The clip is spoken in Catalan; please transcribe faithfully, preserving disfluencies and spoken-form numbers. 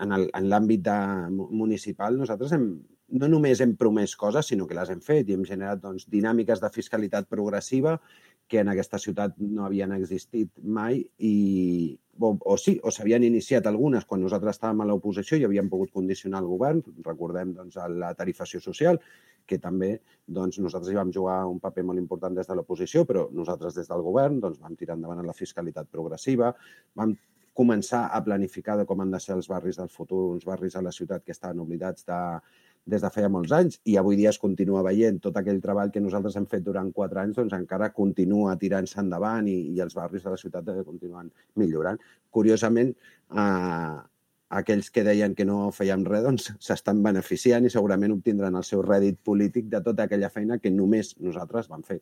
en el- en l'àmbit de- municipal nosaltres hem, no només hem promès coses, sinó que les hem fet i hem generat doncs, dinàmiques de fiscalitat progressiva que en aquesta ciutat no havien existit mai i, o, o sí, o s'havien iniciat algunes quan nosaltres estàvem a l'oposició i havíem pogut condicionar el govern. Recordem doncs, la tarifació social, que també doncs, nosaltres hi vam jugar un paper molt important des de l'oposició, però nosaltres des del govern doncs, vam tirar endavant la fiscalitat progressiva, vam començar a planificar de com han de ser els barris del futur, uns barris a la ciutat que estaven oblidats de, des de feia molts anys i avui dia es continua veient tot aquell treball que nosaltres hem fet durant quatre anys, doncs encara continua tirant-se endavant i, i els barris de la ciutat continuen millorant. Curiosament, eh, aquells que deien que no fèiem res, doncs s'estan beneficiant i segurament obtindran el seu rèdit polític de tota aquella feina que només nosaltres vam fer.